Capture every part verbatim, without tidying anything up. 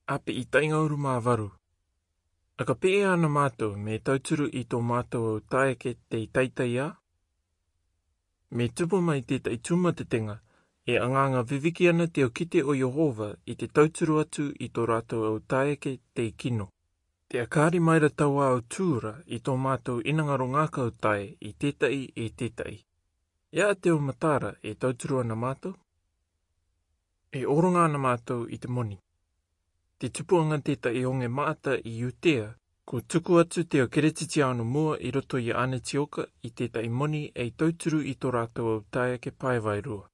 Ape i tainga uru mā varu. Aka pē ana mātou me tauturu i tō mātou au taeke tei taitai ā? Me tupu mai tētahi tūmatetenga, e anganga viviki ana te au kite o Iehova i te tauturu atu i tō rātou au taeke tei kino. Te akari mai ra tau au tūra i tō mātou inangaro ngākau tae i tētahi e tētahi. E a te au matara e tauturu ana mātou? E oronga ana mātou i te moni. Te tupuanga tētahi onge maata i Iutea, ko tuku atu te au keretitiano mua i roto i a Anetioka i tētahi moni ei tauturu i tō rātou au taeke paevae rua.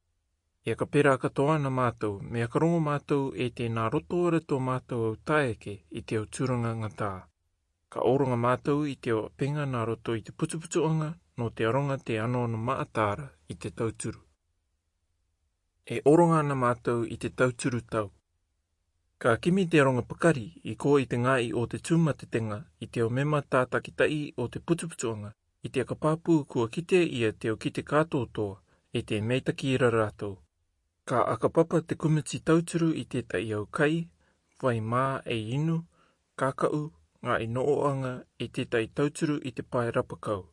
E aka pērā katoa ana mātou, me aka rongo mātou e te nā roto ora tō mātou au taeke i te au tūranga ngatā. Ka oronga mātou i te au apenga nā roto i te putuputuanga nō te aronga te anono maata ra i te tauturu. E oronga ana mātou i te tauturu tau. Ka kimi te aronga pakari i kō i te ngāi o te tūmatetenga i te au mema tātakitahi o te putuputuanga, i te aka pāpū kua kite ia te au kite kātōtoa, e te meitaki ra rātou. Ka aka papa te kumiti tauturu i tētahi au kai, vai mā ei inu, kākaʻu, ngāi noʻoanga, e tētahi tauturu i te pae rapakau.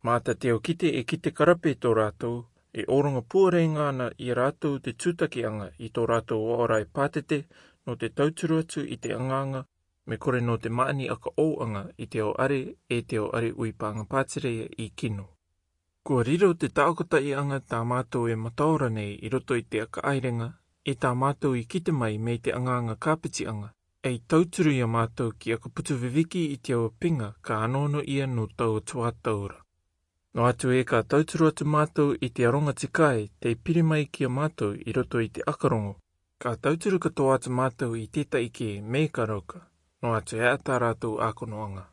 Mā ta te au kite e kite karape tō rātou, e oronga puareinga ana i a rātou te tūtakianga i tō rātou oaorai pātete nō te tauturu atu i te anganga, me kore nō te maani aka ouanga i te au are e te au are ui pānga pātireia i kino. Kua riro te taokotahianga tā mātou e mataora nei i roto i te aka airenga, e tā mātou i kite mai me te anganga kāpitianga, ei tauturu i a mātou ki aka putu viviki i te au apenga ka anono ia nō taua tuatau ra. Nō atu e ka tauturu atu mātou i te aronga tikai tei piri mai ki a mātou i roto i te aka rongo, ka tauturu katoa atu mātou i tētahi kē me ka rauka, nō atu e a tā rātou ākonoanga.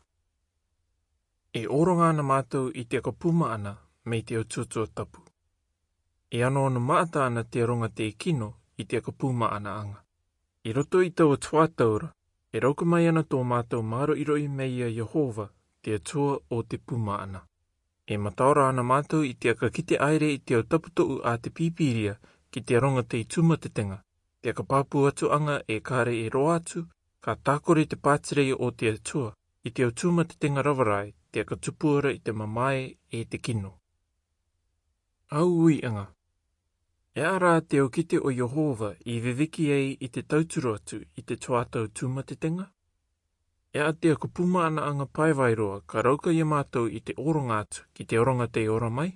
E oronga ana mātou i te aka pūmaana me te au tuatua tapu. E anono maata ana te aronga tei kino i te aka pūmaanaanga. I roto i taua tuatau ra, e rauka mai ana tō mātou māroʻiroʻi me i a Iehova, te Atua o te pūmaana. E mataora ana mātou i te aka kite aire i te au taputoʻu a te Pīpīria ki te aronga tei tūmatetenga, te aka pāpū atuanga e kare e roa atu, ka tākore te pātireia o te Atua i te au tūmatetenga ravarae, te aka tupu ra i te mamae e te kino. Au uiʻanga. E a rā te au kite o Iehova i viviki ai i te tauturu atu i te tuatau tūmatetenga? E a te aka pūmaanaanga paevae roa ka rauka i a mātou i te oronga atu ki te aronga tei ora mai?